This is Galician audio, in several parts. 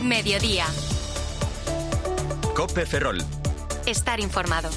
Mediodía. COPE Ferrol. Estar informado.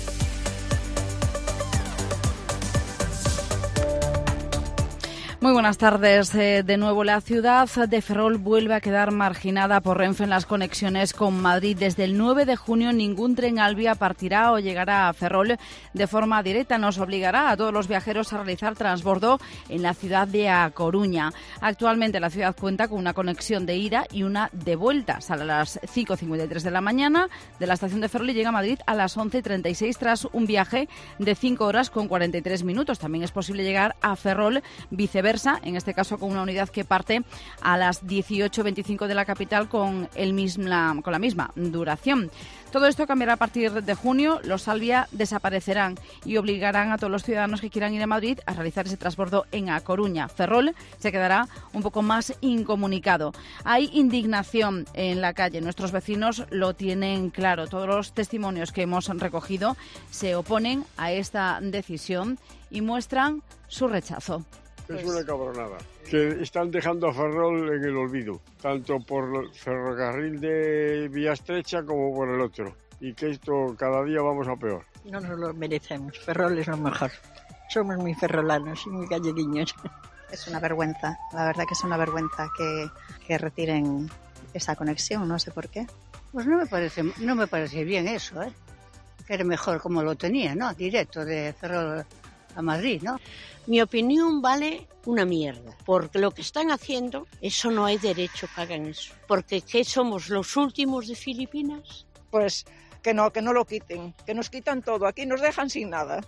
Muy buenas tardes. De nuevo, la ciudad de Ferrol vuelve a quedar marginada por Renfe en las conexiones con Madrid. Desde el 9 de junio ningún tren Alvia partirá o llegará a Ferrol de forma directa. Nos obligará a todos los viajeros a realizar transbordo en la ciudad de A Coruña. Actualmente la ciudad cuenta con una conexión de ida y una de vuelta. Sale a las 5:53 de la mañana de la estación de Ferrol y llega a Madrid a las 11:36 tras un viaje de 5 horas con 43 minutos. También es posible llegar a Ferrol viceversa, en este caso con una unidad que parte a las 18:25 de la capital con la misma duración. Todo esto cambiará a partir de junio. Los Alvia desaparecerán y obligarán a todos los ciudadanos que quieran ir a Madrid a realizar ese transbordo en A Coruña. Ferrol se quedará un poco más incomunicado. Hay indignación en la calle. Nuestros vecinos lo tienen claro. Todos los testimonios que hemos recogido se oponen a esta decisión y muestran su rechazo. Es una cabronada, que están dejando a Ferrol en el olvido, tanto por el ferrocarril de vía estrecha como por el otro, y que esto cada día vamos a peor. No nos lo merecemos, Ferrol es lo mejor. Somos muy ferrolanos y muy galleguiños. Es una vergüenza, la verdad que es una vergüenza que retiren esa conexión, no sé por qué. Pues no me parece bien eso, ¿eh? Que era mejor como lo tenía, ¿no? Directo de Ferrol a Madrid, ¿no? Mi opinión vale una mierda, porque lo que están haciendo, eso no hay derecho que hagan eso. Porque ¿qué somos, los últimos de Filipinas? Pues que no lo quiten, que nos quitan todo, aquí nos dejan sin nada.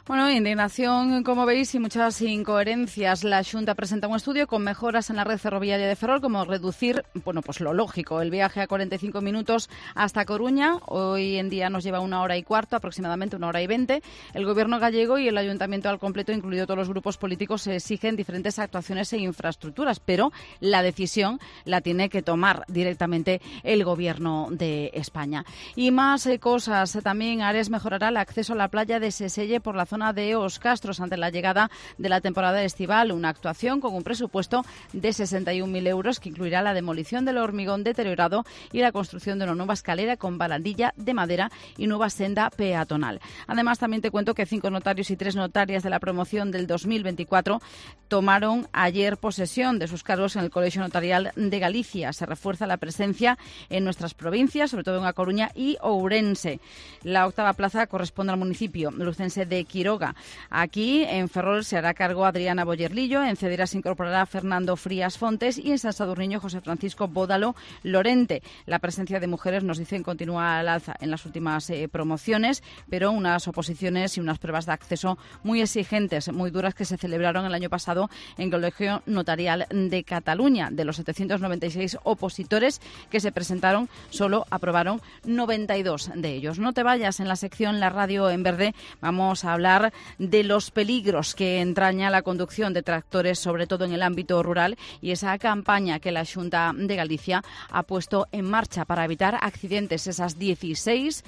Bueno, indignación, como veis, y muchas incoherencias. La Xunta presenta un estudio con mejoras en la red ferroviaria de Ferrol, como reducir, pues lo lógico, el viaje a 45 minutos hasta Coruña. Hoy en día nos lleva 1 hora y cuarto, aproximadamente 1 hora y 20. El Gobierno gallego y el Ayuntamiento al completo, incluido todos los grupos políticos, exigen diferentes actuaciones e infraestructuras, pero la decisión la tiene que tomar directamente el Gobierno de España. Y más cosas. También Ares mejorará el acceso a la playa de Seselle por la zona de Os Castros ante la llegada de la temporada estival, una actuación con un presupuesto de 61.000 euros que incluirá la demolición del hormigón deteriorado y la construcción de una nueva escalera con barandilla de madera y nueva senda peatonal. Además, también te cuento que 5 notarios y 3 notarias de la promoción del 2024 tomaron ayer posesión de sus cargos en el Colegio Notarial de Galicia. Se refuerza la presencia en nuestras provincias, sobre todo en A Coruña y Ourense. La 8ª plaza corresponde al municipio lucense de Quiroga. Aquí, en Ferrol, se hará cargo Adriana Boyerlillo, en Cedera se incorporará Fernando Frías Fontes y en San Sadurniño José Francisco Bódalo Lorente. La presencia de mujeres, nos dicen, continúa al alza en las últimas promociones, pero unas oposiciones y unas pruebas de acceso muy exigentes, muy duras, que se celebraron el año pasado en el Colegio Notarial de Cataluña. De los 796 opositores que se presentaron, solo aprobaron 92 de ellos. No te vayas, en la sección La Radio en Verde vamos a hablar de los peligros que entraña la conducción de tractores, sobre todo en el ámbito rural, y esa campaña que la Xunta de Galicia ha puesto en marcha para evitar accidentes, esas 16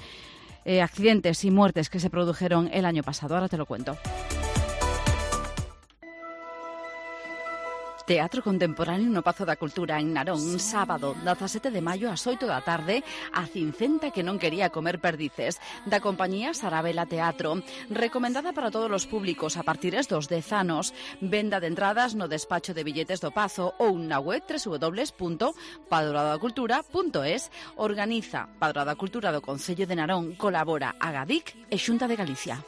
accidentes y muertes que se produjeron el año pasado. Ahora te lo cuento. Teatro Contemporáneo no Pazo da Cultura en Narón, sábado 17 de maio ás 8 da tarde, a Cincenta que non quería comer perdices, da compañía Sarabela Teatro, recomendada para todos os públicos a partir dos 10 anos, venda de entradas no despacho de billetes do Pazo ou na web www.padroadacultura.es. Organiza Padroada Cultura do Concello de Narón, colabora Agadic e Xunta de Galicia.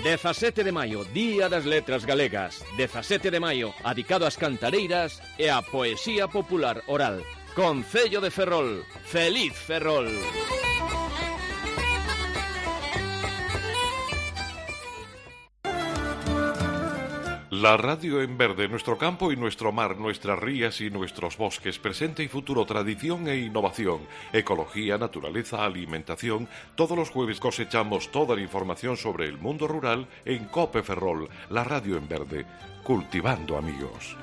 17 de maio, Día das Letras Galegas. 17 de maio, adicado ás cantareiras e á poesía popular oral. Concello de Ferrol. Feliz Ferrol! La radio en verde, nuestro campo y nuestro mar, nuestras rías y nuestros bosques, presente y futuro, tradición e innovación, ecología, naturaleza, alimentación. Todos los jueves cosechamos toda la información sobre el mundo rural en COPE Ferrol, la radio en verde, cultivando amigos.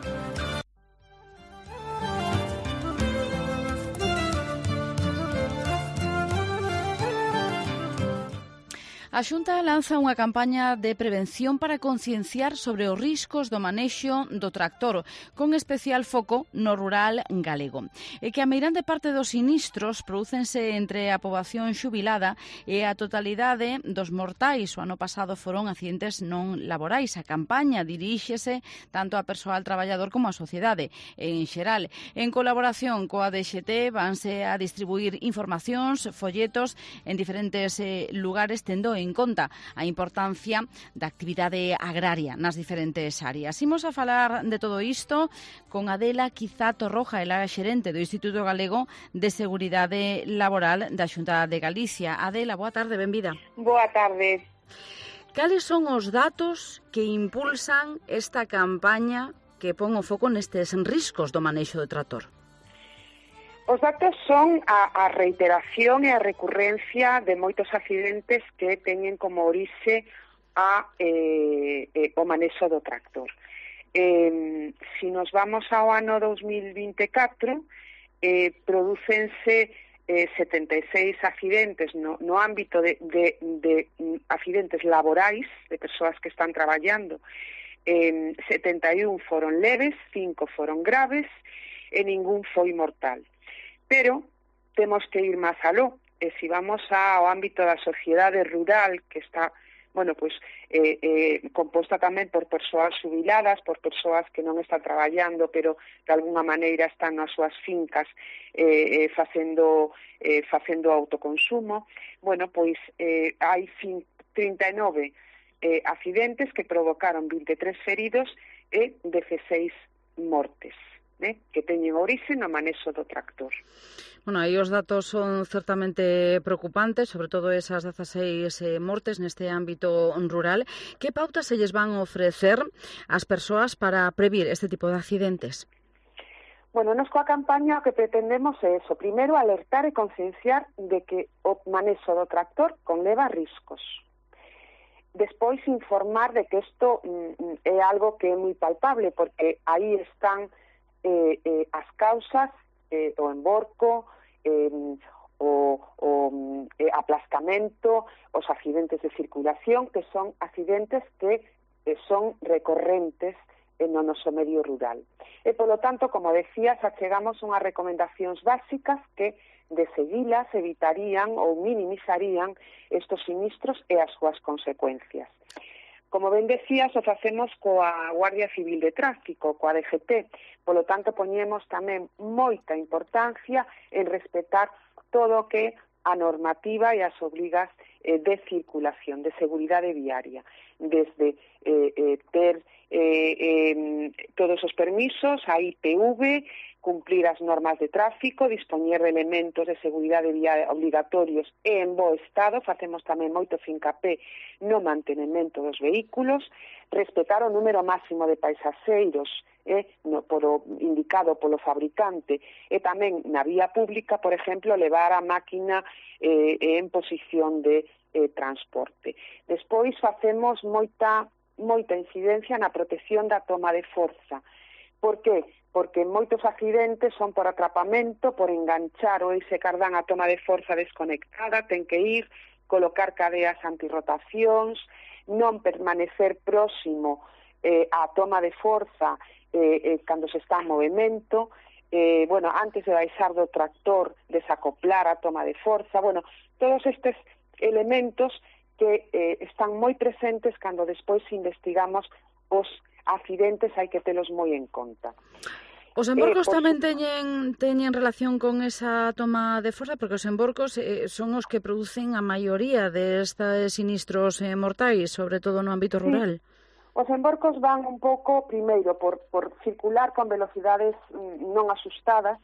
A Xunta lanza unha campaña de prevención para concienciar sobre os riscos do manexo do tractor, con especial foco no rural galego. E que a meirande parte dos sinistros prodúcense entre a poboación xubilada e a totalidade dos mortais. O ano pasado foron accidentes non laborais. A campaña diríxese tanto a persoal traballador como a sociedade en xeral. En colaboración coa DXT vanse a distribuir informacións, folletos en diferentes lugares, tendo en conta a importancia da actividade agraria nas diferentes áreas. Imos a falar de todo isto con Adela Quizato Roja, ela é xerente do Instituto Galego de Seguridade Laboral da Xunta de Galicia. Adela, boa tarde, benvida. Boa tarde. Cales son os datos que impulsan esta campaña que pon o foco nestes riscos do manexo do trator? Os datos son a reiteración e a recurrencia de moitos accidentes que teñen como orixe o manexo do tractor. Si nos vamos ao ano 2024, prodúcense 76 accidentes no ámbito de accidentes laborais, de persoas que están traballando. 71 foron leves, 5 foron graves e ningún foi mortal. Pero temos que ir máis aló, e se vamos ao ámbito da sociedade rural, que está, composta tamén por persoas xubiladas, por persoas que non están traballando, pero de alguna maneira están nas súas fincas facendo autoconsumo, hai 39 accidentes que provocaron 23 feridos e 16 mortes, que teñen orixe no manexo do tractor. Bueno, aí os datos son certamente preocupantes, sobre todo esas 16 mortes neste ámbito rural. Que pautas se lles van ofrecer ás persoas para previr este tipo de accidentes? Bueno, nos coa campaña o que pretendemos é eso. Primeiro, alertar e concienciar de que o manexo do tractor conleva riscos. Despois, informar de que isto é algo que é moi palpable, porque aí están as causas, o emborco, o aplascamento, os accidentes de circulación, que son accidentes que son recorrentes no noso medio rural. E, polo tanto, como decías, achegamos unhas recomendacións básicas que, de seguilas, evitarían ou minimizarían estos sinistros e as súas consecuencias. Como ben decías, o facemos coa Guardia Civil de Tráfico, coa DGT. Polo tanto, poñemos tamén moita importancia en respetar todo o que a normativa e as obrigas de circulación, de seguridade viaria. Desde ter todos os permisos, a IPV, cumplir as normas de tráfico, dispoñer de elementos de seguridade viaria obligatorios e en bo estado, facemos tamén moito fincapé no mantenimento dos vehículos, respetar o número máximo de paisaseiros indicado polo fabricante e tamén na vía pública, por exemplo, levar a máquina en posición de transporte. Despois facemos moita incidencia na protección da toma de forza. Por que? Porque moitos accidentes son por atrapamento, por enganchar o ese cardán a toma de forza desconectada, ten que ir, colocar cadeas antirrotacións, non permanecer próximo á toma de forza cando se está en movimento, antes de baixar do tractor, desacoplar a toma de forza, todos estes elementos que están moi presentes cando despois investigamos os accidentes, hai que telos moi en conta. Os emborcos tamén teñen relación con esa toma de forza, porque os emborcos son os que producen a maioría destes sinistros mortais, sobre todo no ámbito rural. Os emborcos van un pouco, primeiro, por circular con velocidades non asustadas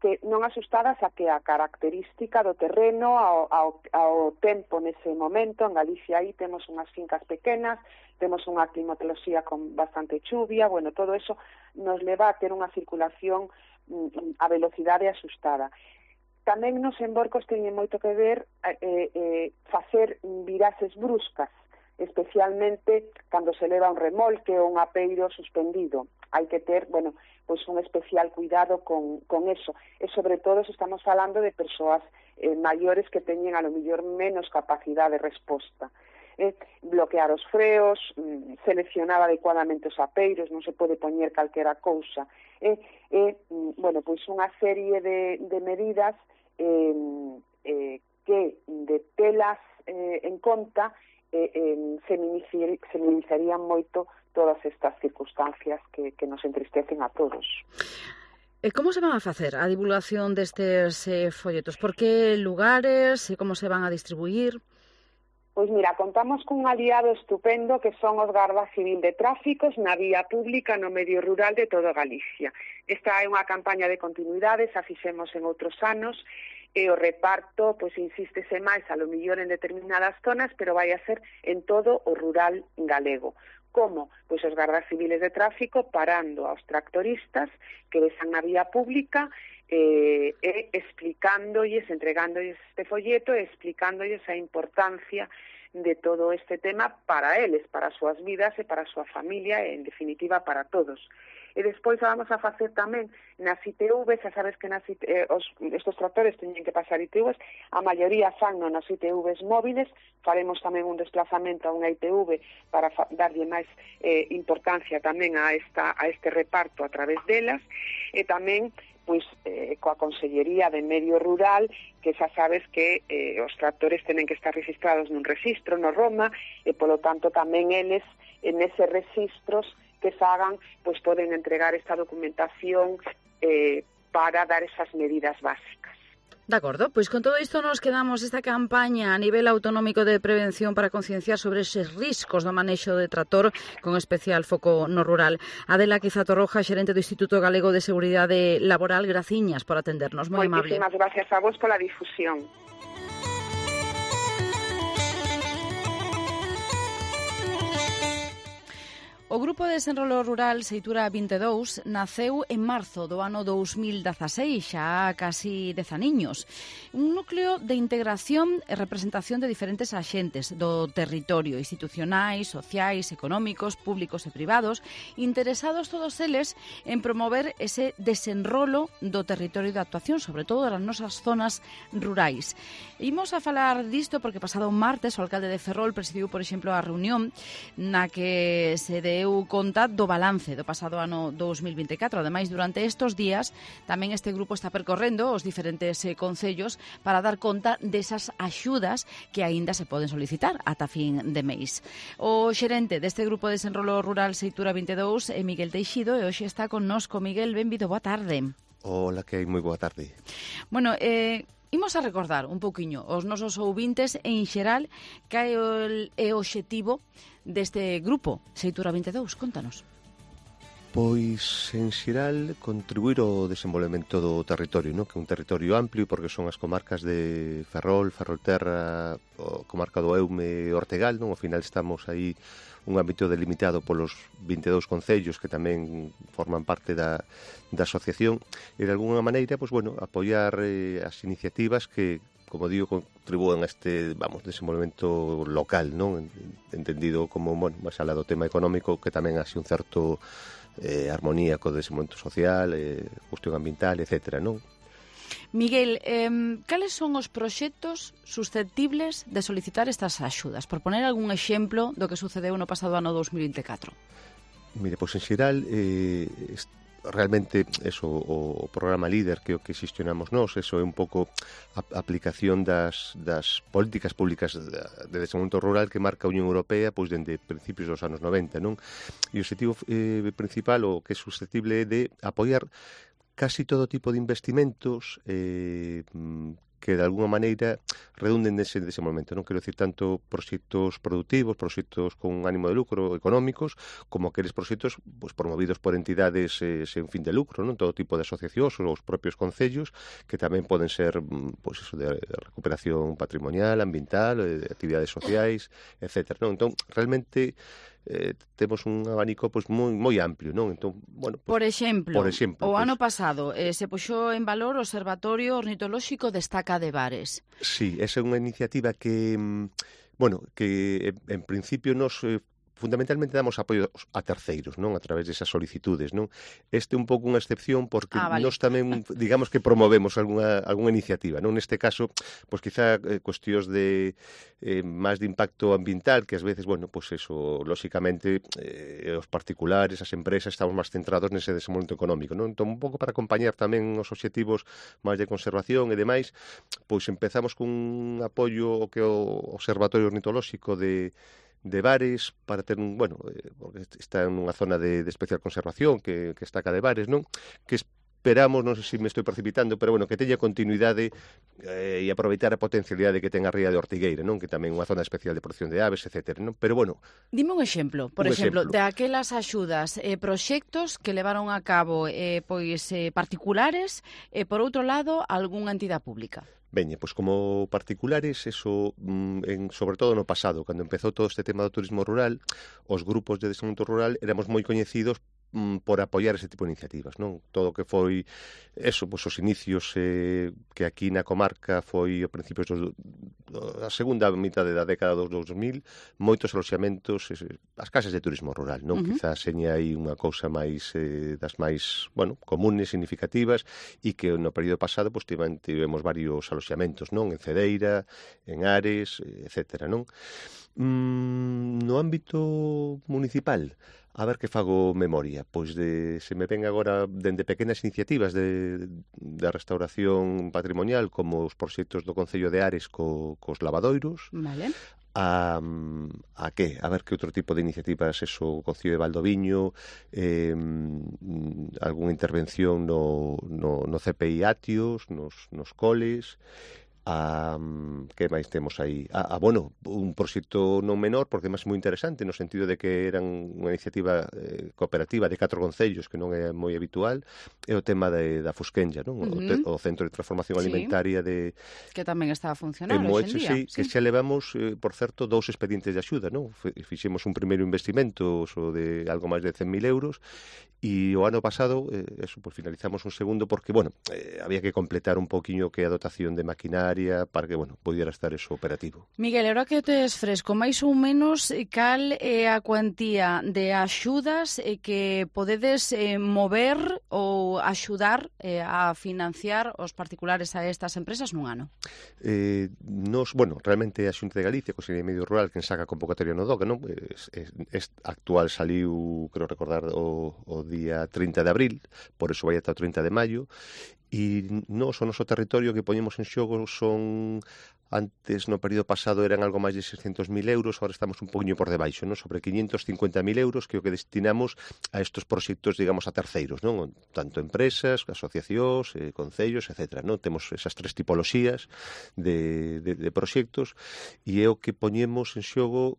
a que a característica do terreno, ao tempo nese momento. En Galicia aí temos unhas fincas pequenas, temos unha climatoloxía con bastante chuvia, todo eso nos leva a ter unha circulación a velocidade asustada. Tamén nos emborcos teñen moito que ver facer viraxes bruscas, especialmente cando se leva un remolque ou un apeiro suspendido. Hai que ter, un especial cuidado con eso. E sobre todo se estamos falando de persoas maiores que teñen a lo mellor menos capacidade de resposta. Bloquear os freos, seleccionar adecuadamente os apeiros, non se pode poñer calquera cousa. Bueno, pois unha serie de medidas que de telas en conta se minimizarían moito todas estas circunstancias que nos entristecen a todos. Como se van a facer a divulgación destes folletos? Por que lugares? Como se van a distribuir? Pois mira, contamos cun aliado estupendo que son os Garda Civil de Tráficos na vía pública no medio rural de toda Galicia. Esta é unha campaña de continuidade, xa fixemos en outros anos, e o reparto, pois insístese máis a lo millor en determinadas zonas, pero vai a ser en todo o rural galego. Como? Pois os gardas civiles de tráfico parando aos tractoristas que besan na vía pública e explicándolles, entregándoles este folleto e explicándolles a importancia de todo este tema para eles, para as súas vidas e para a súa familia e, en definitiva, para todos. E despois vamos a facer tamén nas ITV, xa sabes que estos tractores teñen que pasar ITVs, a maioría fan nas ITVs móviles, faremos tamén un desplazamento a unha ITV para darlle máis importancia tamén a este reparto a través delas, e tamén pois coa Consellería de Medio Rural, que xa sabes que os tractores tenen que estar registrados nun registro, no Roma, e polo tanto tamén eles en eses registros que fagan, pois poden entregar esta documentación para dar esas medidas básicas. De acordo, pois con todo isto nos quedamos esta campaña a nivel autonómico de prevención para concienciar sobre eses riscos do manexo de trator con especial foco no rural. Adela Quiza Torroja, xerente do Instituto Galego de Seguridade Laboral, graciñas por atendernos, moi amable. Moitísimas gracias a vos pola difusión. O Grupo de Desenrolo Rural Seitura 22 naceu en marzo do ano 2016, xa casi 10 aniños. Un núcleo de integración e representación de diferentes axentes do territorio, institucionais, sociais, económicos, públicos e privados, interesados todos eles en promover ese desenrolo do territorio de actuación, sobre todo das nosas zonas rurais. Imos a falar disto porque pasado martes o alcalde de Ferrol presidiu, por exemplo, a reunión na que se deu conta do balance do pasado ano 2024. Ademais, durante estes días, tamén este grupo está percorrendo os diferentes concellos para dar conta desas axudas que aínda se poden solicitar ata fin de mês. O xerente deste grupo de desenrolo rural Seitura 22 é Miguel Teixido e hoxe está connosco. Miguel, benvido, boa tarde. Hola, que hai, moi boa tarde. Bueno, imos a recordar un pouquiño os nosos ouvintes en xeral que é o obxectivo deste grupo, Seitura 22, contanos. Pois, en xeral, contribuir ao desenvolvemento do territorio, non? Que é un territorio amplio, porque son as comarcas de Ferrol, Ferrolterra, a comarca do Eume e Ortegal, non? Ao final estamos aí un ámbito delimitado polos 22 concellos que tamén forman parte da asociación, e de alguna maneira, pois, bueno, apoiar as iniciativas que, como digo, contribúen a este, desenvolvemento local, non? Entendido como, bueno, máis alá do tema económico, que tamén haxe un certo armonía co desenvolvemento social, cuestión ambiental, etcétera, non? Miguel, cales son os proxectos susceptibles de solicitar estas axudas? Por poner algún exemplo do que sucedeu no pasado ano 2024. Mire, pois en xeral, realmente eso, o programa líder que é o que xestionamos nós, eso é un pouco a aplicación das políticas públicas de desenvolvemento rural que marca a Unión Europea pois dende principios dos anos 90, non? E o objetivo principal, o que é susceptible, é de apoiar casi todo tipo de investimentos que de alguna maneira redunden nese desenvolvemento, non quero dicir tanto proxectos productivos, proxectos con ánimo de lucro económicos, como aqueles proxectos pois, promovidos por entidades sen fin de lucro, non? Todo tipo de asociacións ou os propios concellos, que tamén poden ser pois eso, de recuperación patrimonial, ambiental, de actividades sociais, etc. Non? Entón, realmente temos un abanico pois moi amplio, non? Entón, bueno, pois, por exemplo, o pois, ano pasado se puxou en valor o Observatorio Ornitolóxico de Estaca de Bares. Sí, esa é unha iniciativa que, bueno, que en principio nos fundamentalmente damos apoio a terceiros, non? A través desas solicitudes, non? Este é un pouco unha excepción porque nós tamén, digamos que promovemos algunha iniciativa, non? Neste caso, pois quizá cuestións de máis de impacto ambiental, que ás veces, bueno, pois eso, lóxicamente, os particulares, as empresas, estamos máis centrados nese desenvolvemento económico, non? Entón, un pouco para acompañar tamén os obxectivos máis de conservación e demais, pois empezamos cun apoio que o Observatorio Ornitolóxico de Bares para ter porque está en unha zona de especial conservación que está cá de Bares, non? Que esperamos, non sei se me estou precipitando, pero que teña continuidade e aproveitar a potencialidade que ten a ría de Ortigueira, non? Que tamén é unha zona especial de protección de aves, etc. Non? Pero dime un exemplo, por exemplo, de aquelas axudas, proxectos que levaron a cabo particulares e, por outro lado, algunha entidade pública. Veña, pois como particulares, eso, sobre todo no pasado, cando empezou todo este tema do turismo rural, os grupos de desenvolvemento rural éramos moi coñecidos por apoiar ese tipo de iniciativas, non? Todo o que foi eso, pois os inicios que aquí na comarca foi a principios a segunda mitade da década dos 2000, moitos aloxamentos, as casas de turismo rural, non? Quizás seña aí unha cousa máis das máis, comunes, significativas, e que no período pasado pois tivemos varios aloxamentos, non? En Cedeira, en Ares, etcétera, non? No ámbito municipal, a ver que fago memoria, pois se me ven agora dende pequenas iniciativas da restauración patrimonial, como os proxectos do Concello de Ares cos lavadoiros. Vale. A que? A ver que outro tipo de iniciativas, o Concello de Valdoviño, algunha intervención no CPI Atios, nos coles. Que máis temos aí? Un proxecto non menor, porque máis moi interesante, no sentido de que eran unha iniciativa cooperativa de 4 concellos, que non é moi habitual, é o tema da Fusquenlla, non? O Centro de Transformación Alimentaria que tamén está a funcionar hoxe en día. Que xa levamos, por certo, 2 expedientes de axuda, non? Fixemos un primeiro investimento de algo máis de 100.000 euros, e o ano pasado, finalizamos un segundo, porque, había que completar un poquinho que a dotación de maquinaria para que, pudiera estar eso operativo. Miguel, ahora que tes fresco, máis ou menos, cal é a cuantía de axudas que podedes mover ou axudar a financiar os particulares a estas empresas nun ano? Realmente a Xunta de Galicia, Consellería de Medio Rural, quen saca a convocatoria no DOCA, non? Actual saliu, creo recordar, o día 30 de abril, por eso vai ata o 30 de maio, e o noso territorio que poñemos en xogo son, antes no período pasado eran algo máis de 600.000 euros, agora estamos un poquinho por debaixo, non? Sobre 550.000 euros, que é o que destinamos a estos proxectos, digamos, a terceiros, non? Tanto empresas, asociacións, concellos, etc. Non? Temos esas 3 tipoloxías de proxectos, e é o que poñemos en xogo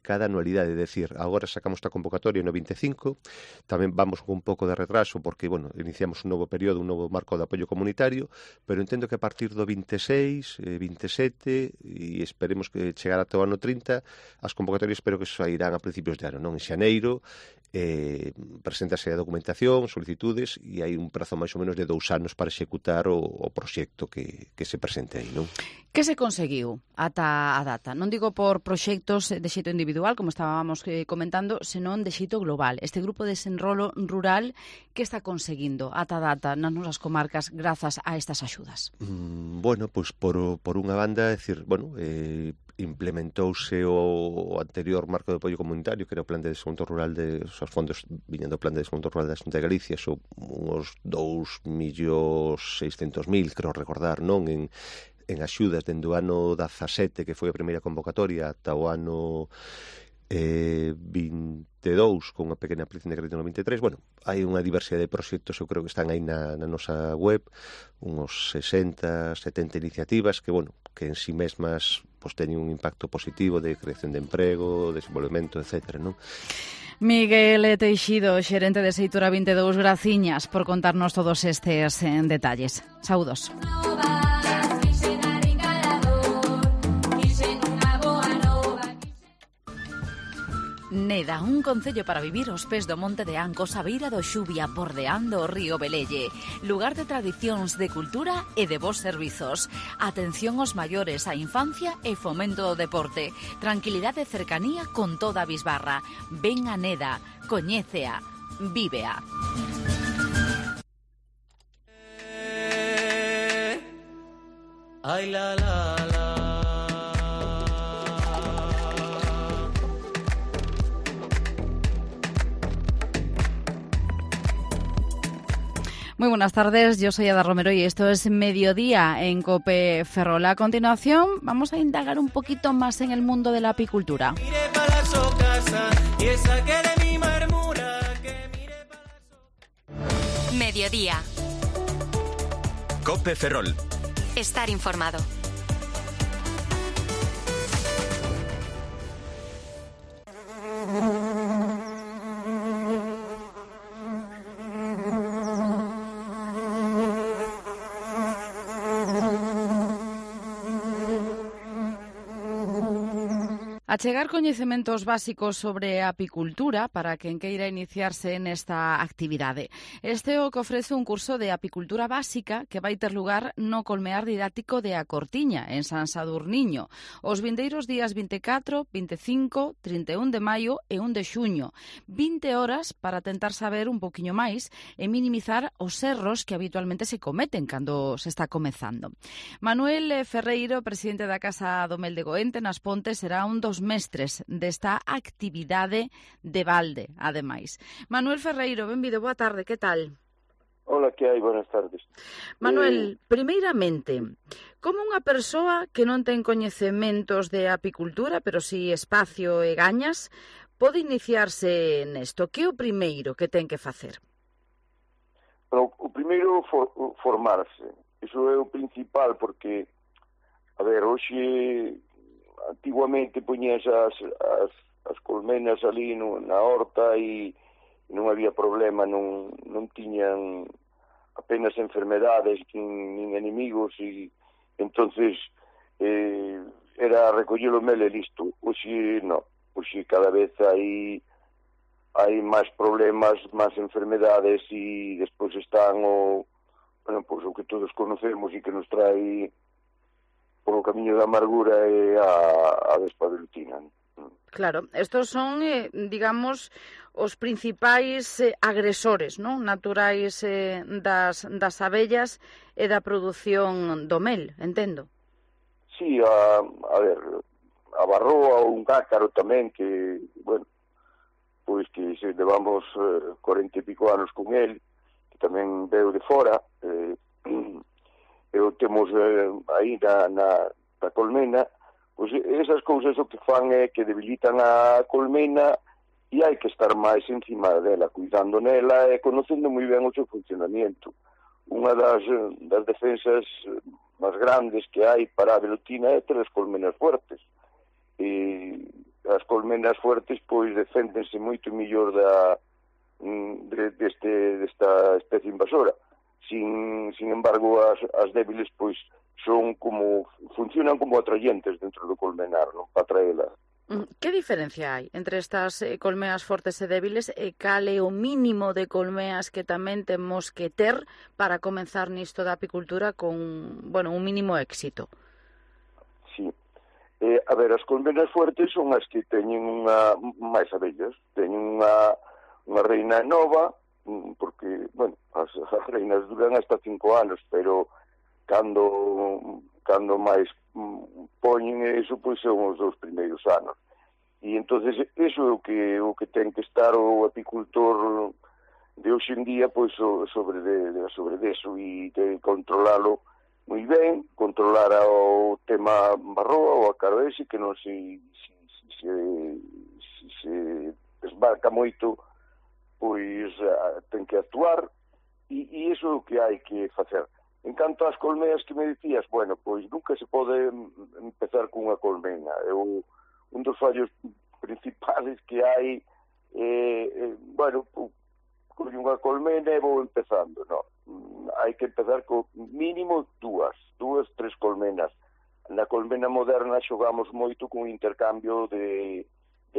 cada anualidade, é dicir, agora sacamos esta convocatoria no 25, tamén vamos con un pouco de retraso, porque, iniciamos un novo período, un novo marco de apoio comunitario, pero entendo que a partir do 26, 27, e esperemos que chegar ata o ano 30, as convocatorias espero que sairán a principios de ano, non? En xaneiro, preséntase a documentación, solicitudes, e hai un prazo máis ou menos de 2 anos para executar o proxecto que se presente aí, non? Que se conseguiu ata a data? Non digo por proxectos de xeito individual, como estábamos comentando, senón de xeito global. Este grupo de desenrolo rural, que está conseguindo ata a data nas nosas comarcas grazas a estas axudas? Pois por unha banda, é dicir, implementouse o anterior marco de apoio comunitario, que era o Plan de Desenvolvemento Rural, os fondos viñan do Plan de Desenvolvemento Rural da Xunta de Galicia, son uns 2.600.000, creo recordar, non? En axudas dende o ano 17, que foi a primeira convocatoria, ata o ano 22, con unha pequena ampliación de crédito no 23. Hai unha diversidade de proxectos, eu creo que están aí na nosa web, uns 60, 70 iniciativas que en si mesmas teñen un impacto positivo de creación de emprego, desenvolvemento, etc., non? Miguel Teixido, xerente de Seitura 22, graciñas por contarnos todos estes detalles. Saúdos. Neda, un concello para vivir aos pés do Monte de Ancos, a beira do Xubia, bordeando o río Velelle. Lugar de tradicións, de cultura e de bons servizos. Atención aos maiores, a infancia e fomento do deporte. Tranquilidade e cercanía con toda a bisbarra. Ven a Neda, coñécea, vívea. Ay, la, la, la. Muy buenas tardes, yo soy Ada Romero y esto es Mediodía en COPE Ferrol. A continuación vamos a indagar un poquito más en el mundo de la apicultura. Mediodía. COPE Ferrol. Estar informado. Achegar coñecementos básicos sobre a apicultura para quen queira iniciarse nesta actividade. Este é o que ofrece un curso de apicultura básica que vai ter lugar no colmear didáctico de A Cortiña, en San Sadurniño, os vindeiros días 24, 25, 31 de maio e 1 de xuño. 20 horas para tentar saber un poquinho máis e minimizar os erros que habitualmente se cometen cando se está comezando. Manuel Ferreiro, presidente da Casa do Mel de Goente, nas Pontes, será un dos mestres desta actividade de balde, ademais. Manuel Ferreiro, benvido, boa tarde, que tal? Hola, que hai? Buenas tardes. Manuel, primeiramente, como unha persoa que non ten coñecementos de apicultura, pero si espacio e gañas, pode iniciarse nesto? Que é o primeiro que ten que facer? Bueno, o primeiro formarse. Iso é o principal, porque, a ver, hoxe antiguamente poñías as colmenas ali na horta e non había problema, non tiñan apenas enfermedades nin enemigos e entonces era recoller o mel e listo. Hoxe non, hoxe cada vez hai máis problemas, máis enfermedades e despois están o que todos conocemos e que nos trae polo camiño da amargura e a vespa velutina. Claro, estos son, digamos, os principais agresores, non? Naturais das abellas e da produción do mel, entendo. Sí, a ver, a barroa ou un cácaro tamén, que, bueno, pois que se levamos 40 e pico anos con el, que tamén veo de fora, e o temos aí na colmena, pois esas cousas o que fan é que debilitan a colmena e hai que estar máis encima dela, cuidando nela e conocendo moi ben o seu funcionamento. Unha das defensas máis grandes que hai para a velutina é ter as colmenas fuertes. E as colmenas fuertes pois deféndense moito mellor desta especie invasora. Sin embargo, as débiles pois funcionan como atraentes dentro do colmenar, non? Para atraela. Que diferencia hai entre estas colmeas fortes e débiles e cal é o mínimo de colmeas que tamén temos que ter para comenzar nisto da apicultura con, un mínimo éxito? Sí. A ver, as colmenas fuertes son as que teñen máis abellas, teñen unha reina nova, porque, as reinas duran hasta 5 anos, pero cando máis poñen eso, pois son os 2 primeiros anos. E entonces eso é o que ten que estar o apicultor de hoxe en día, pois sobre deso, e de controlalo moi ben, controlar o tema barroa ou a caro ese, que non se desbarca moito, pois ten que actuar e iso é o que hai que facer. En canto ás colmeas que me dicías, pois nunca se pode empezar cunha colmena. Un dos fallos principales que hai con unha colmena e vou empezando, non. Hai que empezar con mínimo 3 colmenas. Na colmena moderna xogamos moito con intercambio de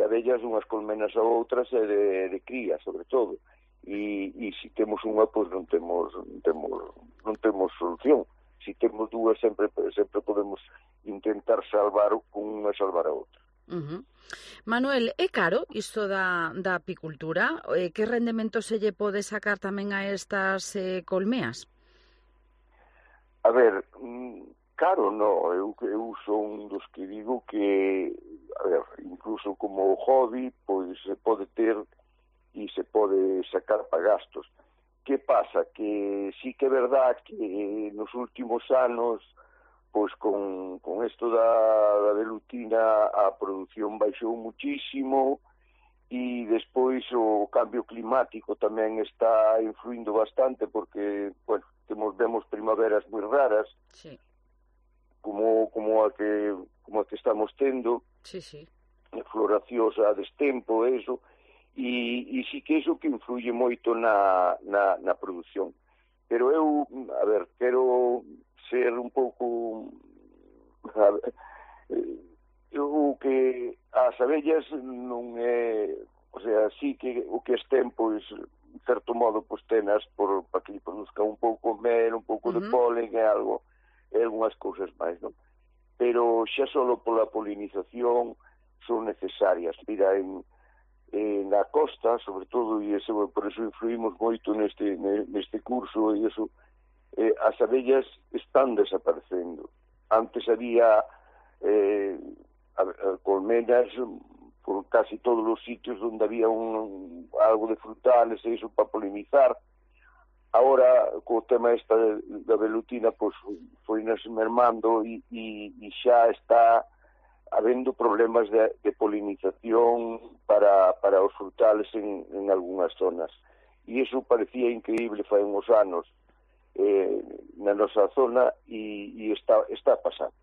abellas unhas colmenas a outras e de cría, sobre todo. E se temos unha, pois non temos solución. Se temos dúas, sempre podemos intentar salvar unha e salvar a outra. Manuel, é caro isto da apicultura? Que rendemento se lle pode sacar tamén a estas colmeas? A ver, caro non, eu son dos que digo que, a ver, incluso como hobby, pois se pode ter e se pode sacar para gastos. Que pasa? Que sí que é verdad que nos últimos anos, pois con isto da velutina a produción baixou muchísimo e despois o cambio climático tamén está influindo bastante porque, bueno, vemos primaveras moi raras, sí, como a que estamos tendo, sí, sí, floracións a destempo, eso, e sí que iso que influye moito na produción. Pero eu, a ver, quero ser un pouco... o que as abellas non é... O sea, sí que o que estén, pois, en certo modo, pois, tenas para que produzca un pouco mel, un pouco de polen e algo, e algunhas cousas máis, non? Pero xa solo pola polinización son necesarias. Mira, na costa, sobre todo, e por eso influímos moito neste curso, e eso, as abellas están desaparecendo. Antes había colmenas por casi todos os sitios onde había algo de frutales e iso para polinizar. Ahora, co tema esta da velutina, pois foi nas mermando e xa está habendo problemas de polinización para os frutales en algunhas zonas. E iso parecía increíble fai uns anos na nosa zona e está pasando.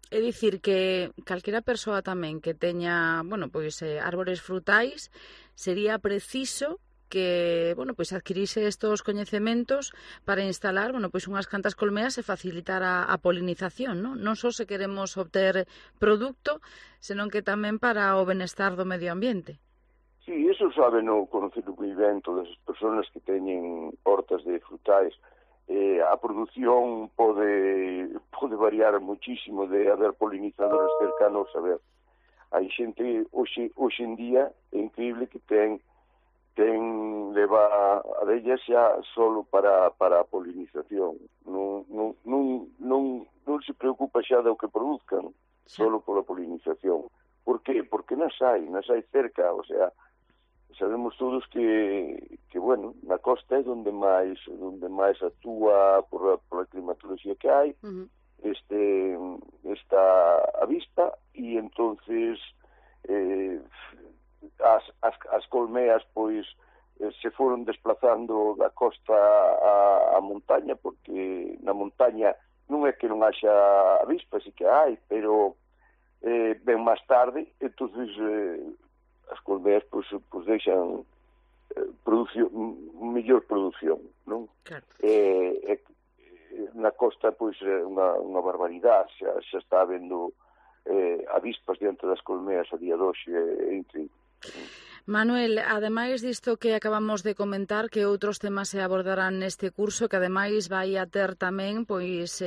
É dicir que calquera persoa tamén que teña, bueno, pois árbores frutais, sería preciso que, bueno, pois adquirise estos coñecementos para instalar, bueno, pois unhas cantas colmeas e facilitar a polinización, non? Non só se queremos obter produto, senón que tamén para o benestar do medio ambiente. Sí, eso saben o conocimiento das persoas que teñen hortas de frutais. A produción pode variar muchísimo de haber polinizadores cercanos. A ver, hai xente hoxe en día é increíble que leva abellas xa solo para a polinización. Non se preocupa xa do que produzcan, solo pola polinización. Por qué? Porque nas hai cerca, o sea, sabemos todos que bueno, na costa é onde máis actúa por a climatoloxía que hai, está a vista, e entonces as colmeas pois se foron desplazando da costa a montaña, porque na montaña non é que non haxa avispas, sí que hai, pero ben máis tarde, entonces as colmeas pois deixan mellor produción, non? Claro. Na costa pois é unha barbaridade, xa está habendo avispas diante das colmeas a día de hoxe, é increíble. Manuel, ademais disto que acabamos de comentar, que outros temas se abordarán neste curso, que ademais vai a ter tamén pois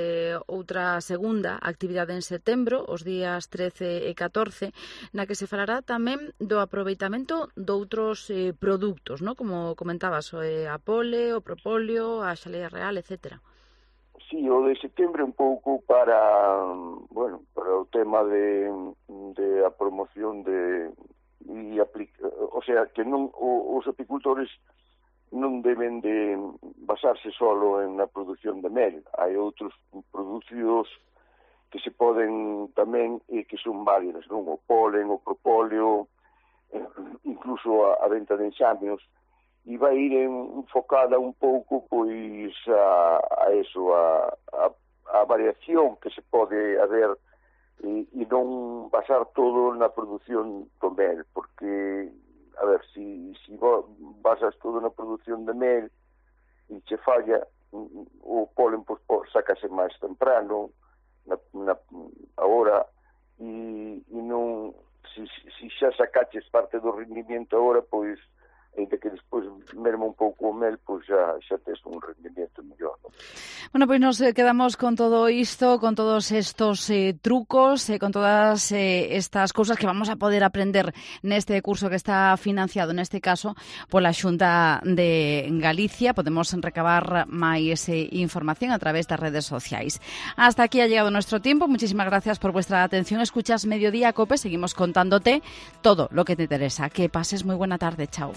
outra segunda actividade en setembro, os días 13 e 14, na que se falará tamén do aproveitamento doutros produtos, ¿no? Como comentabas, a pole, o propóleo, a xalea real, etcétera. Sí, o de setembro un pouco para o tema de a promoción o sea, que non os apicultores non deben de basarse solo en a produción de mel. Hai outros producidos que se poden tamén e que son válidas, non? O polen, o propóleo, incluso a venta de enxamios, e vai ir enfocada un pouco pois a eso, a variación que se pode haber e non basar todo na produción do mel, porque, a ver, si basas todo na produción de mel e che falla, o polen pois sácase máis temprano, agora, e non se xa sacaches parte do rendimiento agora, pois, ainda que despois merma un pouco o mel, pois xa tes un rendimiento mellor, non? Bueno, pois nos quedamos con todo isto, con todos estos trucos, con todas estas cousas que vamos a poder aprender neste curso que está financiado, neste caso, pola Xunta de Galicia. Podemos recabar máis información a través das redes sociais. Hasta aquí ha llegado nuestro tiempo. Muchísimas gracias por vuestra atención. Escuchas Mediodía Cope. Seguimos contándote todo lo que te interesa. Que pases muy buena tarde. Chao.